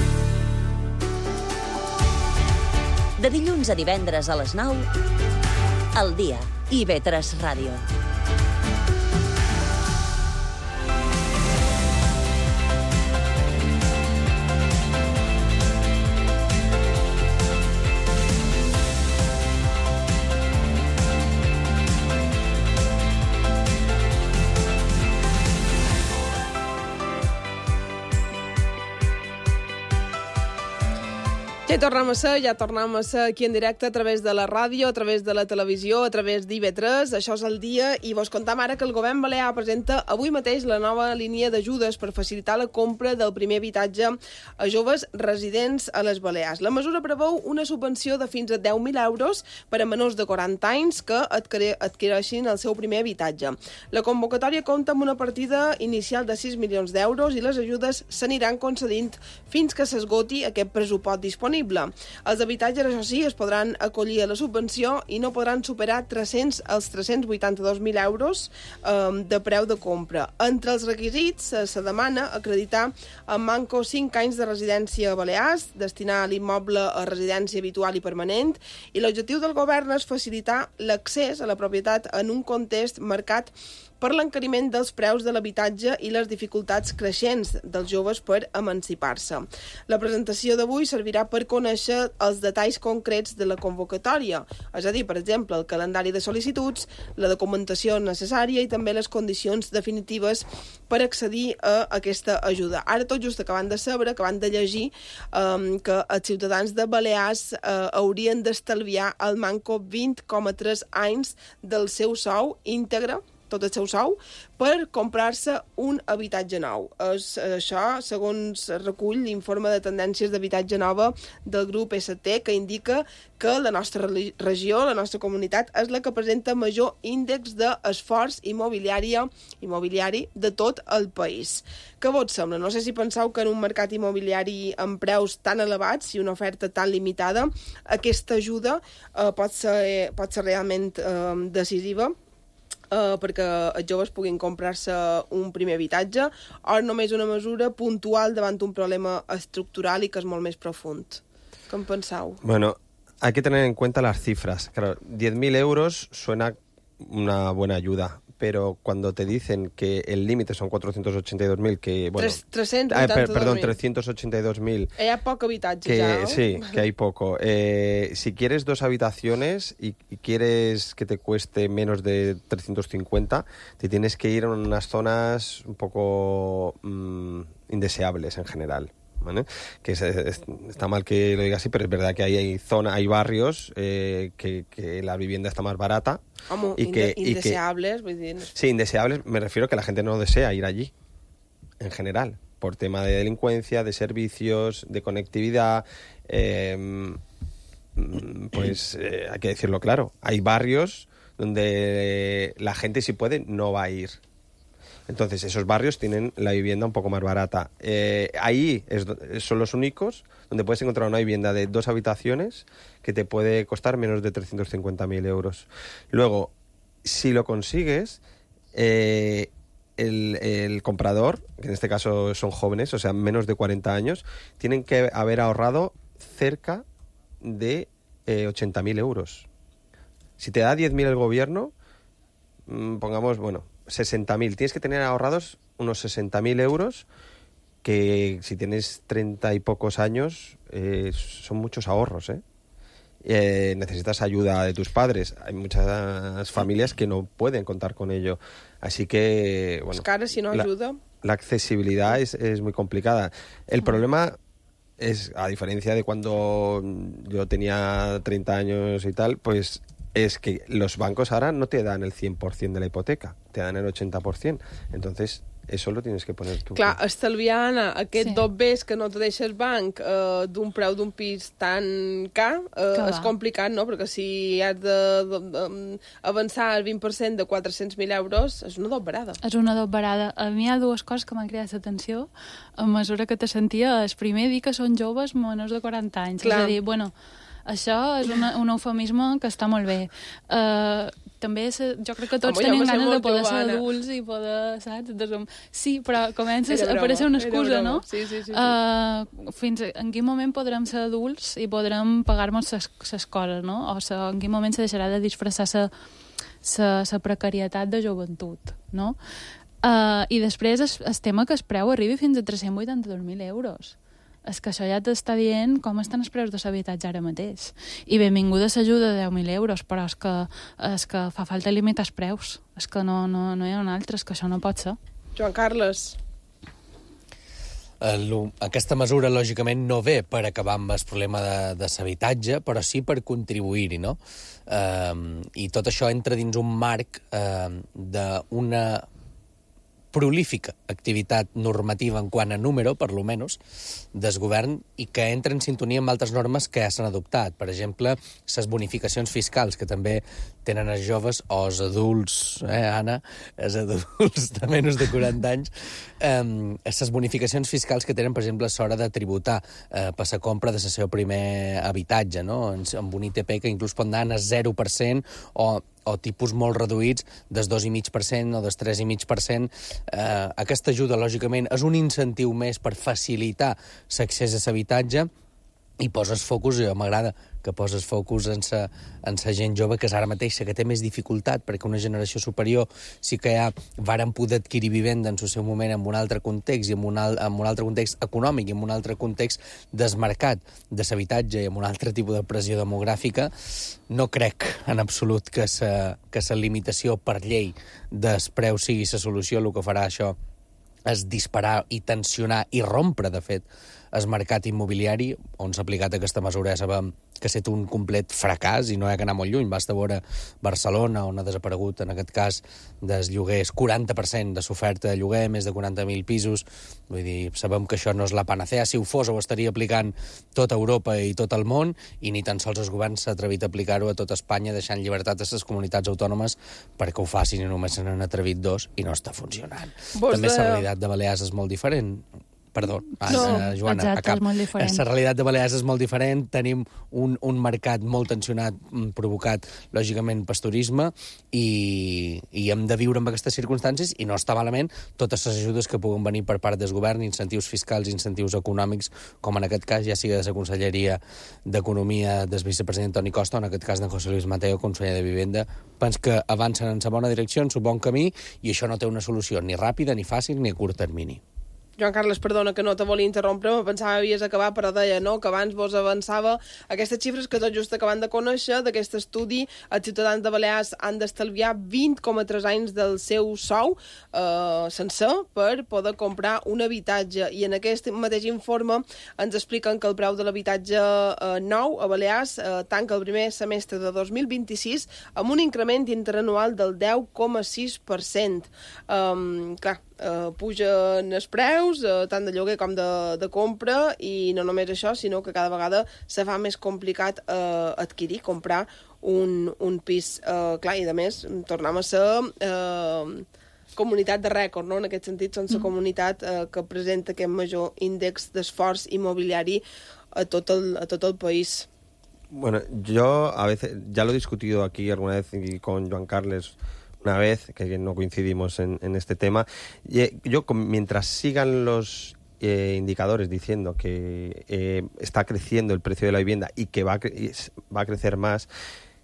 De dilluns a divendres a les 9, El Dia, IV3 Ràdio. Ja tornem a ser aquí en directe a través de la ràdio, a través de la televisió, a través d'IV3. Això és El Dia i vos contam ara que el govern balear presenta avui mateix la nova línia d'ajudes per facilitar la compra del primer habitatge a joves residents a les Balears. La mesura preveu una subvenció de fins a 10.000 euros per a menors de 40 anys que adquireixin el seu primer habitatge. La convocatòria compta amb una partida inicial de 6 milions d'euros i les ajudes s'aniran concedint fins que s'esgoti aquest pressupost disponible. Els habitatges, això sí, es podran acollir a la subvenció i no podran superar els 382.000 euros de preu de compra. Entre els requisits se demana acreditar en manco 5 anys de residència a Balears, destinar l'immoble a residència habitual i permanent, i l'objectiu del govern és facilitar l'accés a la propietat en un context marcat per l'encariment dels preus de l'habitatge i les dificultats creixents dels joves per emancipar-se. La presentació d'avui servirà per conèixer els detalls concrets de la convocatòria, és a dir, per exemple, el calendari de sol·licituds, la documentació necessària i també les condicions definitives per accedir a aquesta ajuda. Ara tot just acabant de saber, acabant de llegir que els ciutadans de Balears haurien d'estalviar al manco 20,3 anys del seu sou íntegre, tot el seu sou, per comprar-se un habitatge nou. Això, segons recull l'informe de tendències d'habitatge nova del grup ST, que indica que la nostra regió, la nostra comunitat, és la que presenta major índex d'esforç immobiliari de tot el país. Què vos sembla? No sé si penseu que en un mercat immobiliari amb preus tan elevats i una oferta tan limitada, aquesta ajuda pot ser realment decisiva perquè els joves puguin comprar-se un primer habitatge, o només una mesura puntual davant un problema estructural i que és molt més profund. ¿Qué en penseu? Bueno, hay que tener en cuenta las cifras. Claro, 10.000 euros suena una buena ayuda, pero cuando te dicen que el límite son 482.000, que bueno... 382.000. Hi ha poc habitatge ja, ¿no? Sí, que hay poco. Si quieres 2 habitaciones y quieres que te cueste menos de 350, te tienes que ir a unas zonas un poco indeseables en general. ¿Vale? Que está mal que lo diga así, pero es verdad que hay barrios que la vivienda está más barata. Indeseables, vull dir... Sí, indeseables, me refiero a que la gente no desea ir allí, en general, por tema de delincuencia, de servicios, de conectividad, pues hay que decirlo claro, hay barrios donde la gente, si puede, no va a ir. Entonces, esos barrios tienen la vivienda un poco más barata. Ahí son los únicos donde puedes encontrar una vivienda de 2 habitaciones que te puede costar menos de 350.000 euros. Luego, si lo consigues, el comprador, que en este caso son jóvenes, o sea, menos de 40 años, tienen que haber ahorrado cerca de 80.000 euros. Si te da 10.000 el gobierno, pongamos, 60.000. Tienes que tener ahorrados unos 60.000 euros, que si tienes 30 y pocos años, son muchos ahorros, necesitas ayuda de tus padres. Hay muchas familias que no pueden contar con ello. Así que, bueno... Cara, si no ayuda... La accesibilidad es muy complicada. El problema es, a diferencia de cuando yo tenía 30 años y tal, pues... es que los bancos ahora no te dan el 100% de la hipoteca, te dan el 80%. Entonces, Eso lo tienes que poner tú. Clar, estalviant aquest dobbers que no te deixa el banc d'un preu d'un pis tan car és complicat, no? Perquè si has d'avançar el 20% de 400.000 euros, és una dobberada. És una dobberada. A mi hi ha dues coses que m'han cridat l'atenció a mesura que te sentia. El primer, dir que són joves menors de 40 anys. Clar. És a dir, bueno, això és un eufemisme que està molt bé. També jo crec que tots tenim ganes de poder ser adults i poder, saps? Sí, però comença a aparèixer una excusa, no? Sí. Fins en quin moment podrem ser adults i podrem pagar-nos les coses, no? O en quin moment se deixarà de disfressar la precarietat de joventut, no? I després el tema que el preu arribi fins a 382.000 euros. És que això ja t'està dient com estan els preus de l'habitatge ara mateix. I benvinguda l'ajuda de 10.000 euros, però és que fa falta limitar els preus. És que no hi ha un altre, és que això no pot ser. Joan Carles. Aquesta mesura, lògicament, no ve per acabar amb el problema de l'habitatge, però sí per contribuir-hi, no? I tot això entra dins un marc d'una prolífica activitat normativa en quant a número, per lo menos, del govern, i que entra en sintonia amb altres normes que ja s'han adoptat. Per exemple, les bonificacions fiscals, que també tenen els joves o els adults, Anna, els adults de menys de 40 anys, les bonificacions fiscals que tenen, per exemple, a l'hora de tributar per la compra de el seu primer habitatge, no? Amb un ITP que inclús pot anar a 0% o tipus molt reduïts del 2,5% o del 3,5%. Aquesta ajuda, lògicament, és un incentiu més per facilitar l'accés a l'habitatge i poses focus, m'agrada que poses focus en la gent jove, que és ara mateix la que té més dificultat, perquè una generació superior sí que ja varen poder adquirir vivenda en el seu moment en un altre context, i en un altre context econòmic, i en un altre context desmarcat de l'habitatge i amb un altre tipus de pressió demogràfica. No crec en absolut que la limitació per llei dels preus sigui la solució. El que farà això és disparar i tensionar i rompre, de fet, el mercat immobiliari, on s'ha aplicat aquesta mesura. Ja sabem que ha estat un complet fracàs i no hi ha que anar molt lluny. Basta veure Barcelona, on ha desaparegut, en aquest cas, dels lloguers, 40% de l'oferta de lloguer, més de 40.000 pisos. Vull dir, sabem que això no és la panacea. Si ho fos, ho estaria aplicant tota Europa i tot el món, i ni tan sols el govern s'ha atrevit a aplicar-ho a tota Espanya, deixant llibertat a les comunitats autònomes perquè ho facin, i només se n'han atrevit 2 i no està funcionant. També la realitat de Balears és molt diferent. Perdó, Joana, exacte, és molt diferent. La realitat de Balears és molt diferent. Tenim un mercat molt tensionat, provocat, lògicament, per turisme, i hem de viure amb aquestes circumstàncies, i no està malament totes les ajudes que puguen venir per part del govern, incentius fiscals, incentius econòmics, com en aquest cas ja sigui de la Conselleria d'Economia del vicepresident Toni Costa, o en aquest cas d'en José Luis Mateo, conseller de Vivenda. Penso que avancen en la bona direcció, en el bon camí, i això no té una solució ni ràpida, ni fàcil, ni a curt termini. Joan Carles, perdona que no te volia interrompre, me pensava que havies acabat, però deia no, que abans vos avançava aquestes xifres que tot just acabant de conèixer d'aquest estudi. Els ciutadans de Balears han d'estalviar 20,3 anys del seu sou sencer per poder comprar un habitatge. I en aquest mateix informe ens expliquen que el preu de l'habitatge nou a Balears tanca el primer semestre de 2026 amb un increment interanual del 10,6%. Clar, pugen els preus, tant de lloguer com de compra, i no només això, sinó que cada vegada se fa més complicat adquirir, comprar un pis. Clar, i a més, tornem a ser comunitat de rècord, no? En aquest sentit, són la comunitat que presenta aquest major índex d'esforç immobiliari a tot el país. Bueno, yo a veces, ya lo he discutido aquí alguna vez con Joan Carles, una vez, que no coincidimos en este tema. Yo, mientras sigan los indicadores diciendo que está creciendo el precio de la vivienda y que va a crecer más,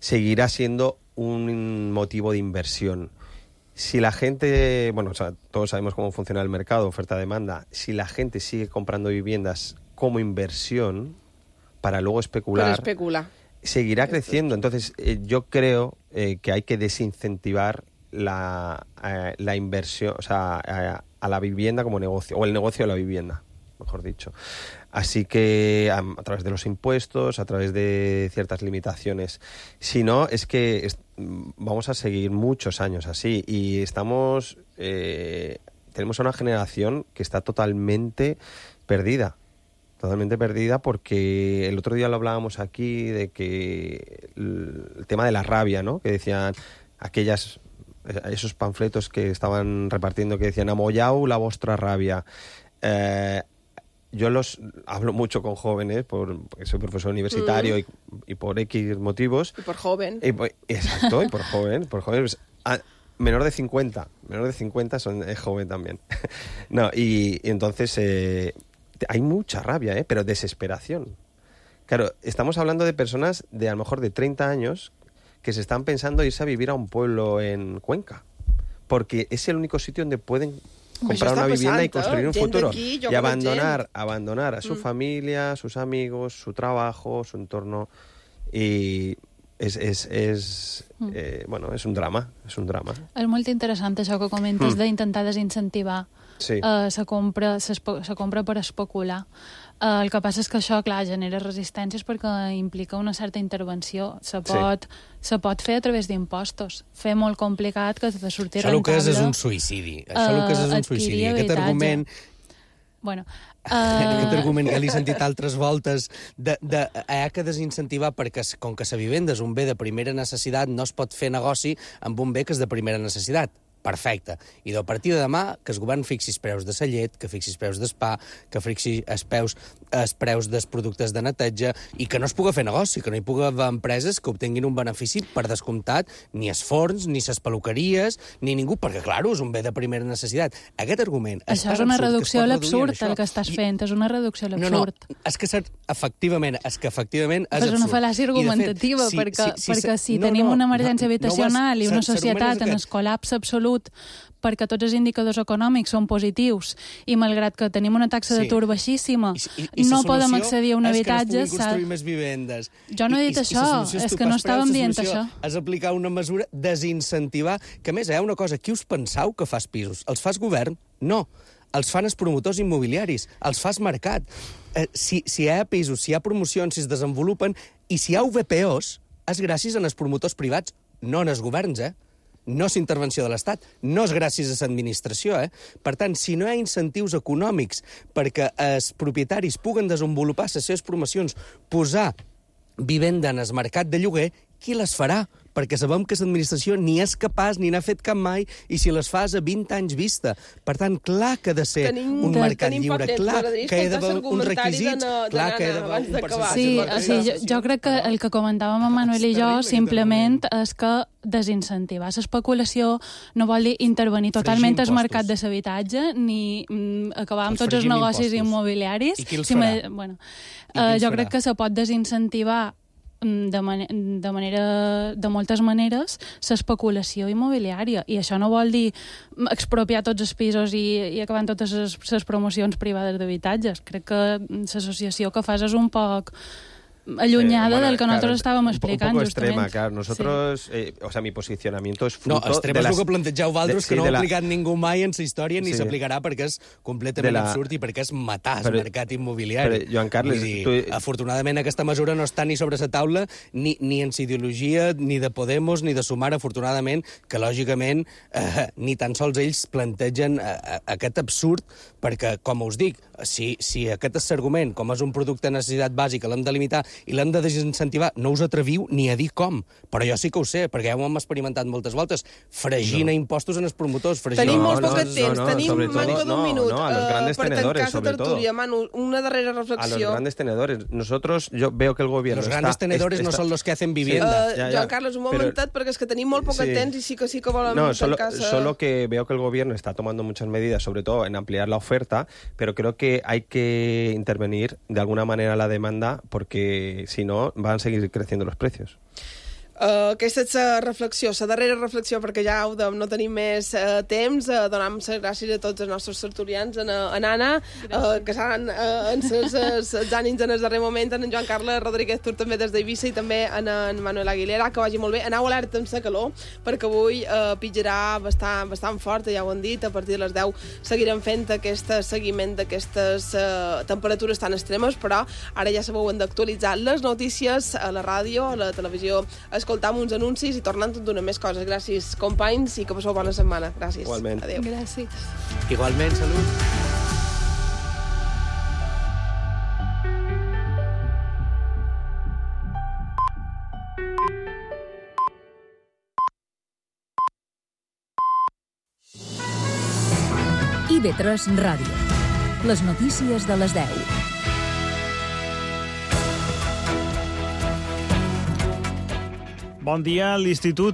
seguirá siendo un motivo de inversión. Si la gente, bueno, o sea, todos sabemos cómo funciona el mercado, oferta-demanda, si la gente sigue comprando viviendas como inversión para luego especular, seguirá creciendo. Entonces, yo creo que hay que desincentivar la inversión, o sea, a la vivienda como negocio, o el negocio de la vivienda, mejor dicho. Así que a través de los impuestos, a través de ciertas limitaciones. Si no, es que vamos a seguir muchos años así, y estamos tenemos a una generación que está totalmente perdida. Totalmente perdida, porque el otro día lo hablábamos aquí de que el tema de la rabia, ¿no? Que decían esos panfletos que estaban repartiendo que decían amollau la vostra rabia. Yo hablo mucho con jóvenes porque soy profesor universitario y por X motivos. Y por joven. Exacto, y por joven. Pues, menor de 50 es joven también. No, y entonces hay mucha rabia, pero desesperación. Claro, estamos hablando de personas de a lo mejor de 30 años que se están pensando irse a vivir a un pueblo en Cuenca, porque es el único sitio donde pueden comprar una vivienda y construir un futuro. Y abandonar a su familia, sus amigos, su trabajo, su entorno. Y és un drama. És molt interessant això que comentes d'intentar desincentivar la compra per especular. El que passa és que això, clar, genera resistències perquè implica una certa intervenció. Se pot fer a través d'impostos. Fer molt complicat que de sortir rentable... Això el que és un suïcidi. Aquest argument... Bueno, aquest argument que l'he sentit altres voltes que desincentivar perquè com que la vivenda és un bé de primera necessitat no es pot fer negoci amb un bé que és de primera necessitat. Perfecte. I a partir de demà que el govern fixi els preus de la llet, que fixi els preus del pa, que fixi els preus dels productes de neteja i que no es pugui fer negoci, que no hi pugui haver empreses que obtinguin un benefici per descomptat ni els forns, ni les peluqueries, ni ningú, perquè, clar, és un bé de primera necessitat. Aquest argument... Això és una reducció a l'absurd, el que estàs fent, és una reducció a l'absurd. No, és que efectivament és absurd. És una fal·làcia argumentativa, perquè si tenim una emergència habitacional i una societat en el col·lapse absolut perquè tots els indicadors econòmics són positius i malgrat que tenim una taxa d'atur baixíssima no podem accedir a un habitatge... És que no es puguin construir més vivendes. Jo no he dit això, és que no estàvem dient això. És aplicar una mesura desincentivar, que a més, una cosa, qui us penseu que fas pisos? Els fas govern? No. Els fan els promotors immobiliaris, els fas mercat. Si hi ha pisos, si hi ha promocions, si es desenvolupen, i si hi ha VPOs, és gràcies als promotors privats, no als governs, No és intervenció de l'Estat, no és gràcies a l'administració. Per tant, si no hi ha incentius econòmics perquè els propietaris puguen desenvolupar les seves promocions, posar vivenda en el mercat de lloguer, qui les farà? Perquè sabem que l'administració ni és capaç ni n'ha fet cap mai i si les fas a 20 anys vista. Per tant, clar que ha de ser un mercat lliure, clar que hi ha d'haver uns requisits, clar que hi ha d'haver un percentatge. Sí, jo crec que el que comentàvem amb Manuel i jo simplement és que desincentivar l'especulació no vol dir intervenir totalment al mercat de l'habitatge ni acabar amb tots els negocis immobiliaris. I qui els farà? Jo crec que se pot desincentivar de moltes maneres l'especulació immobiliària i això no vol dir expropiar tots els pisos i acabar amb totes les promocions privades d'habitatges. Crec que l'associació que fas és un poc allunyada del que nosotros estábamos explicando. Un poco extrema, claro. Nosotros, mi posicionamiento es fruto... No, extrema és el que plantejeu vosaltres, que no ha aplicat ningú mai en la història ni s'aplicarà perquè és completament absurd i perquè és matar el mercat immobiliari. Joan Carles... Afortunadament aquesta mesura no està ni sobre la taula ni en ideologia, ni de Podemos, ni de Sumar, afortunadament, que lògicament ni tan sols ells plantegen aquest absurd perquè, com us dic, si aquest és l'argument, com és un producte de necessitat bàsica, l'hem de limitar i l'hem de desincentivar, no us atreviu ni a dir com. Però jo sí que ho sé, perquè ja ho hem experimentat moltes voltes. Fregint a impostos en els promotors. Tenim molt poc temps, tenim manco d'un minut a los grandes tenedores, sobre todo. Manu, una darrera reflexió. A los grandes tenedores. Yo veo que el gobierno... Los grandes tenedores no son los que hacen vivienda. Joan Carles, un momentet, perquè és que tenim molt poc temps i sí que volem tancar... Solo que veo que el gobierno está tomando muchas medidas, sobre todo en ampliar la oferta, pero creo que hay que intervenir de alguna manera la demanda porque si no, van a seguir creciendo los precios. Aquesta és la reflexió, la darrera reflexió, perquè ja no tenim més temps. Donem les gràcies a tots els nostres tertulians, a Anna, que seran els ànims en el darrer moment, en Joan Carles Rodríguez Tur també des d'Eivissa i també en Manuel Aguilera. Que vagi molt bé. Aneu alerta amb la calor, perquè avui pitjarà bastant fort, ja ho han dit. A partir de les 10 seguirem fent aquest seguiment d'aquestes temperatures tan extremes, però ara ja sabeu, hem d'actualitzar les notícies a la ràdio, a la televisió, escoltam uns anuncis i tornant tot d'una més coses. Gràcies, companys, i que passeu bona setmana. Gràcies. Igualment. Adéu. Gràcies. Igualment, salut. IB3 Ràdio. Les notícies de les 10. Bon dia. L'Institut